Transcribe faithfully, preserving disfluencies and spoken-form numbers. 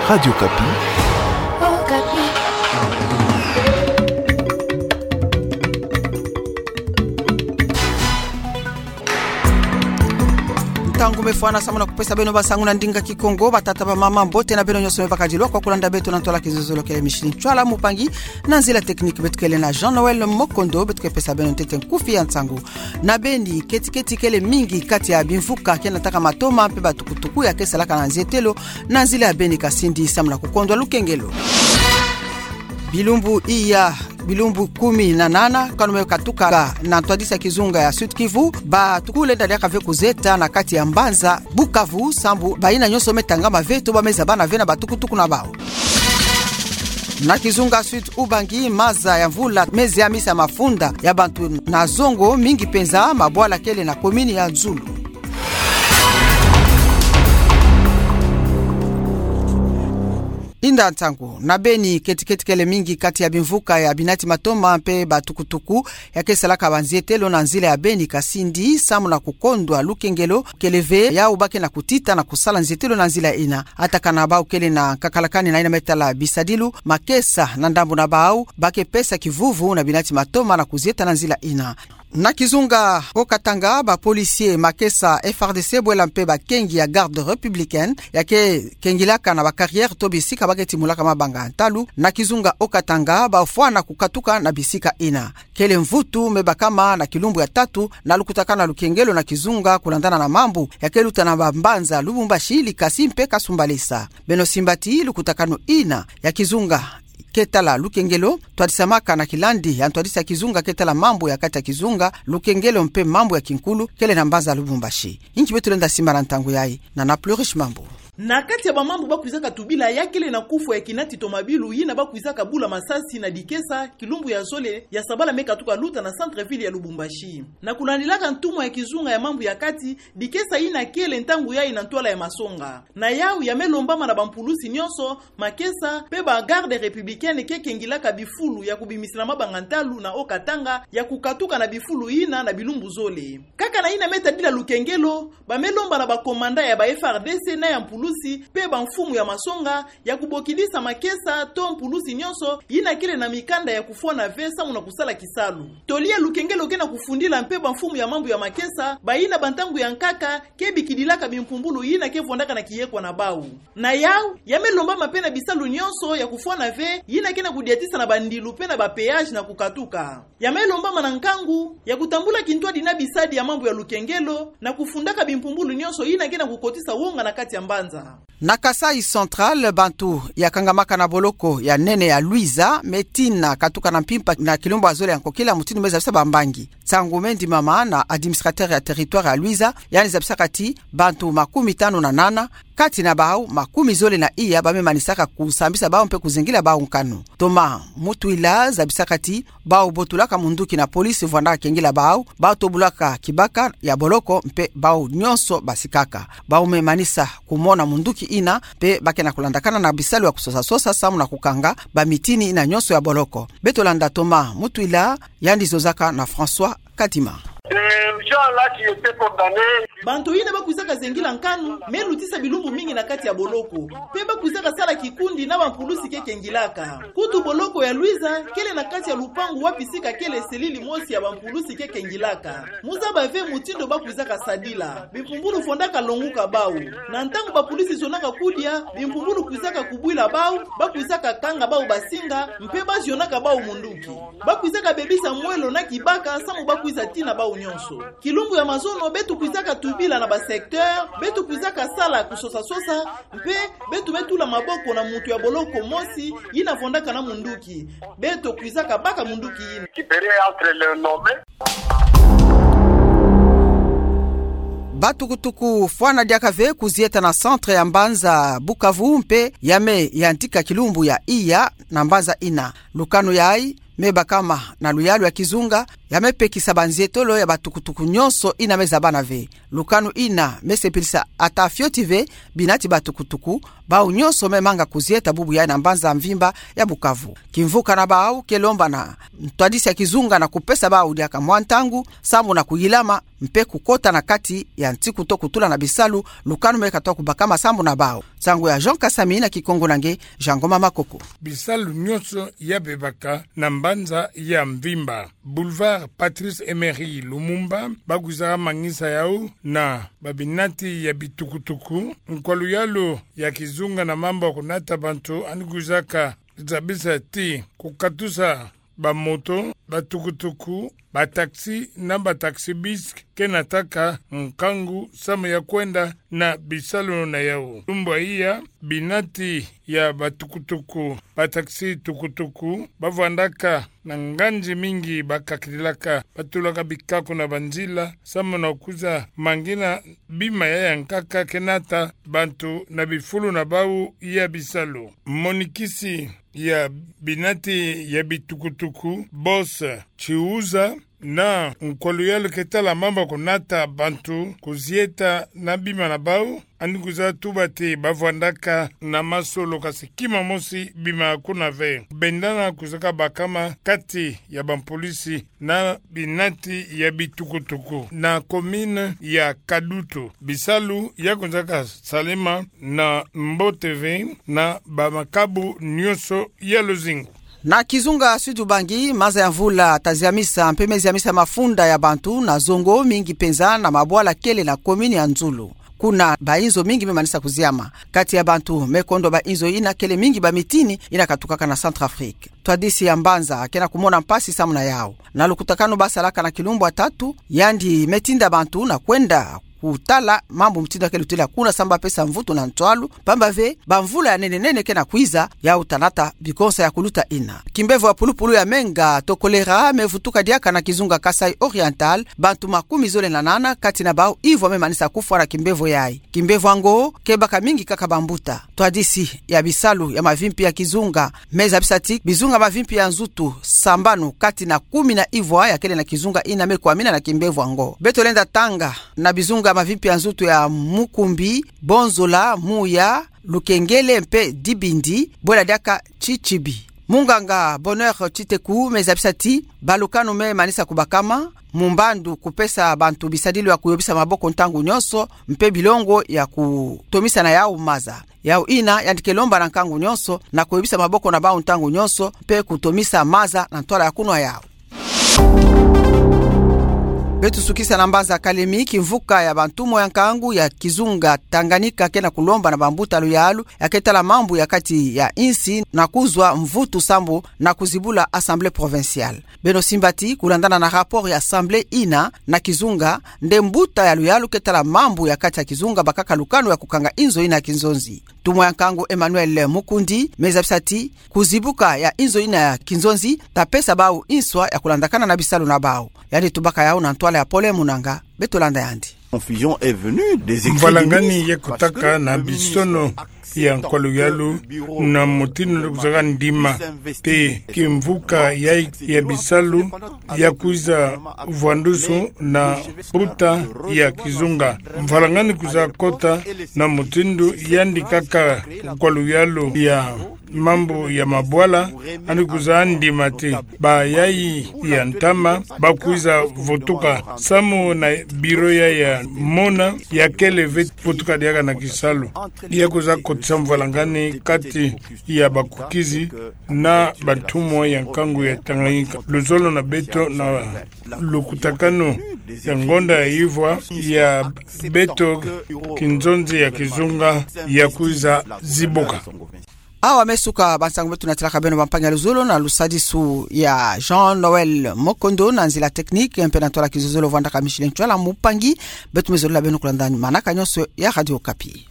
Radio Okapi. Ntangu me fwana samu na kupesa beno bansangu na ndinga Kikongo. Batata, bamama, mbote na beno nyonso me bakadilwa kwa kulanda beto na ntwala kizololo. Kele Micheline Ntsoila, mupangi. Na nzila technique beto kele na Jean-Noël Mokondo, beto ke pesa beno ntete nkufi ya nsangu. Na beni, keti-keti kele mingi kati ya bimvuka ke nataka matoma mpe batukutuku ya ke salaka na nzietelo na nzila ya Beni-Kasindi samu na kukondwa lukengelo. Bilumbu iya, bilumbu kumi na nana kano me katuka na ntwadisi ya kizunga ya Sud-Kivu, batuku lenda diaka ve kuzieta na kati ya mbanza Bukavu, sambu bayina nyonso me tangama ve to ba me zabana ve na batukutuku na bawu. Na kizunga Sud-Ubangi, maza ya mvula me ziamisa mafunda ya bantu na zongo mingi penza, mabwala kele na komini ya Nzulu. Inda nsangu. Na beni, keti-keti kele mingi kati ya bimvuka ya binati matoma mpe batukutuku ya ke salaka banzietelo na nzila ya Beni-Kasindi samu na kukondwa lukengelo. Kele ve yawu ba ke na kutita na kusala nzietelo na nzila ina. Ata kana bawu kele na nkakalakani na yina me tala bisadilu, makesa na ndambu na bawu ba ke pesa kivuvu na binati matoma na kuzieta na nzila ina. Na kizunga Haut-Katanga, ba policiers, makesa F A R D C bwela mpe bakengi ya Garde républicaine ya ke kengilaka na ba carrières to bisika ba ke timulaka mabanga ntalu na kizunga Haut-Katanga, bafwana kukatuka na bisika ina. Kele mvutu me bakama na kilumbu ya tatu na lukutakanu ya lukengelo na kizunga, kulandana na mambu ya ke luta na bambanza Lubumbashi, Likasi mpe Kasumbalesa. Beno simba ti lukutakanu ina ya kizunga ke tala lukengelo, twadisamaka na kilandi ya ntwadisi ya kizunga ke tala mambu ya kati ya kizunga, lukengelo mpe mambu ya kinkulu kele na mbanza Lubumbashi. Inki beto lenda simba na ntangu yayi? Na na Plurish Mambu. Na kati ya bamambu ba kwizaka tubila, ya kele na kufwa ya kinati tomabilu yina ba kwizaka bula masasi na Dikesa, kilumbu ya zole ya sabala me katuka luta na centre-ville ya Lubumbashi. Na kulandilaka ntumwa ya kizunga ya mambu ya kati, Dikesa yina kele ntangu yayi na ntwala ya masonga. Na yawu ya me lombama na bampulusi nyonso, makesa mpe ba Garde républicaine ke kengilaka bifulu ya kubimisila mabanga ntalu na Haut-Katanga ya kukatuka na bifulu yina na bilumbu zole. Kaka na yina me tadila lukengelo, ba me lomba na ba commandant ya ba F A R D C na ya mpulusi mpe bamfumu ya masonga ya kubokidisa makesa to mpulusi nyonso yina kele na mikanda ya kufwana ve samu na kusala kisalu. Toli ya lukengelo ke na kufundila mpe bamfumu ya mambu ya makesa, bayina bantangu ya nkaka ke bikidilaka bimpumbulu yina ke vwandaka na kiyekwa na bawu. Na yawu ya me lombama mpe na bisalu nyonso ya kufwana ve yina ke na kudiatisa na bandilu mpe na ba péage na kukatuka. Ya me lombama na nkangu ya kutambula kintwadi na bisadi ya mambu ya lukengelo na kufundaka bimpumbulu nyonso yina ke na kukotisa wonga na kati ya mbanza. Na Kasaï Central, bantu ya kangamaka na boloko ya nene ya Luiza me tina katuka na mpimpa na kilumbu ya zole ya nkokila, mutindu me zabisa bambangi. Nsangu me ndimama na administrateur ya territoire ya Luiza, yandi zabisaka ti bantu makumi tanu na nana, kati na bawu makumi zole na iya ba me manisaka kusambisa bawu mpe kuzengila bawu nkanu. Thomas Mutwila zabisaka ti bawu botulaka munduki na police vwanda kengila bawu, bawu tobulaka kibaka ya boloko mpe bawu nyonso basikaka. Bawu me manisa kumona munduki yina mpe ba ke na kulandakana na bisalu ya kusosa-sosa samu na kukanga bamitini yina nyonso ya boloko. Beto landa Thomas Mutwila, yandi zozaka na François Kadima. Ces gens-là qui étaient condamnés. Bantu yina ba kwizaka zengila nkanu me lutisa bilumbu mingi na kati ya boloko, mpe ba kwizaka sala kikundi na bampulusi ke kengilaka. Kutu boloko ya Luiza kele na kati ya lupangu wapi sika kele selili mosi ya bampulusi ke kengilaka. Mu zaba ve mutindu ba kwizaka sadila. Bimpumbulu vwandaka longuka bawu. Na ntangu bapolisi zonaka kudia, bimpumbulu kwizaka kubwila bawu, ba kwizaka kanga bawu basinga, mpe ba zionaka bawu munduki. Ba kwizaka bebisa mwelo na kibaka samu ba kwiza tina bawu nyonso. Kilumbu ya mazono beto kwizaka tubila na ba secteur, beto kwizaka sala kusosa-sosa, mpe beto me tula maboko na muntu ya boloko mosi yina vwandaka na munduki. Beto kwizaka baka munduki yina. Qui périt entre les nommés. Batukutuku fwana diaka ve kuzieta na centre ya mbanza Bukavu mpe ya me yantika kilumbu ya iya na mbanza yina. Lukanu yayi me bakama na luyalu ya kizunga, ya me pekisa banzietolo ya batukutuku nyonso ina me zabana ve. Lukanu ina me sepelisa ata fioti ve binati batukutuku, bau nyonso me manga kuzieta bubu yayi na mbanza mvimba ya Bukavu. Kimvuka na bau ke lomba na ntwadisi ya kizunga na kupesa bau diaka mwa ntangu sambu na kuyilama mpe kukota na kati ya ntiku to kutula na bisalu, lukanu me katoa kubakama sambu na bau. Nsangu ya Jean Kasami na Kikongo na nge, Jean Ngoma Makoko. Bisalu nyonso ya bebaka na mbanza ya mvimba, Boulevard Patrice Emery Lumumba, ba kwizaka mangisa yau na babinati ya bitukutuku. Nkwa luyalu ya kizunga na mambu ya kunata bantu yandi kwizaka zabisa ti kukatusa bamoto, batukutuku, bataxi na bataxi-bus ke nataka nkangu samu ya kwenda na bisalu na yau. Lumbu iya, binati ya batukutuku, bataxi tukutuku, ba vwandaka na nganzi mingi, ba kakililaka, ba tulaka bikako na banzila samu na kwiza mangina bima yayi ya nkaka ke nata bantu na bifulu na bau ya bisalu. Monikisi ya binati ya bitukutuku, Boss Chiuza, na nkwa luyalu ke tala mambu ya kunata bantu kuzieta na bima na bau, yandi kwiza tuba ti ba vwandaka na masolo kasi kima mosi bima kuna ve. Bendana kwizaka bakama kati ya bampolisi na binati ya bitukutuku na commune ya Kadutu. Bisalu ya kwizaka salema na mbote ve na bamakabu nyonso ya luzingu. Na kizunga Sud-Ubangi, maza ya mvula ta ziamisa mpe me ziamisa mafunda ya bantu na zongo mingi mpenza na mabwala kele na commune ya Nzulu. Kuna bainzo mingi me manisa kuziama. Kati ya bantu me kondwa bainzo ina kele mingi bamitini ina katukaka na Centrafrique. Ntwadisi ya mbanza ke na kumona mpasi samu na yau. Na lukutakanu ba salaka na kilumbu ya tatu, yandi me tinda bantu na kwenda kutala mambu mutindu ya ke lutila kuna samu ba pesa mvutu na ntwalu, pamba ve bamvula ya nene nene ke na kwiza, yau ta nata bikonsa ya kuluta ina. Kimbevo ya pulupulu ya menga to choléra me vutuka diaka na kizunga Kasaï Oriental, bantu makumi zole na nana kati na bau ivwa me manisa kufwa na kimbevo yayi. Kimbevo yango ke baka mingi kaka bambuta. Ntwadisi ya bisalu ya mavimpi ya kizunga me zabisa ti bizunga mavimpi ya nzutu sambanu kati na kumi na ivwa ya kele na kizunga ina me kwamina na kimbevo yango. Beto lenda tanga na bizunga mavimpi ya nzutu ya Mukumbi, Bonzola, Muya, Lukengele mpe Dibindi, bwela diaka Tchitchibi. Munganga Bonheur Tshiteku me zabisa ti balukanu me manisa kubakama, mu mbandu kupesa bantu bisadilu ya kuyobisa maboko ntangu nyonso, mpe bilongo ya kutomisa na yau maza. Yau ina yandi ke lomba na nkangu nyonso na kuyobisa maboko na bau ntangu nyonso, mpe kutomisa maza na ntwala ya kunwa yau. Beto sukisa na mbanza Kalemi, kimvuka ya bantumwa ya nkangu ya kizunga Tanganyika ke na kulomba na bambuta luyalu ya ke tala mambu ya kati ya insi na kuzwa mvutu sambu na kuzibula Assemblée provinciale. Beno simba ti kulandana na rapport ya Assemblée ina na kizunga, nde mbuta ya luyalu ke tala mambu ya kati ya kizunga bakaka lukanu ya kukanga inzo ina ya kinzonzi. Ntumwa ya nkangu Emmanuel Mukundi me zabisa ti kuzibuka ya inzo ina ya kinzonzi ta pesa bau inswa ya kulandakana na bisalu na bau. Yandi tubaka yau na ntwala ya Paulin Munanga. Beto landa yandi. Confusion est venue des écrits du ministre, parce que le ministre a accepté. Mvalangani ye kutaka na bisono ya nkwa luyalu na mutindu na kuzaka ndima, mpe kimvuka ya, ya bisalu ya kwiza vwandusu na mbuta ya kizunga. Mvalangani kwiza kota na mutindu yandi kaka nkwa luyalu ya mambu ya mabwala, yandi kwiza ndima ti bayayi ya ntama ba kwiza vutuka samu na biro ya, ya mona ya kele ve vutuka diaka na kisalu. Ya kwiza kotisa mvalangani kati ya bakukizi na bantumwa ya nkangu ya Tanganyika. Luzolo na beto na lukutakanu ya ngonda ya ivwa ya beto kinzonzi ya kizunga ya kwiza zibuka. Awa me suka bansangu beto natalaka beno bampangi ya luzolo na lusadisu ya Jean-Noël Mokondo, na nzila technique mpe na ntwala kizololo vwandaka Micheline Ntwala, mpangi. Beto me zolila beno kulanda manaka nyonso ya Radio Okapi.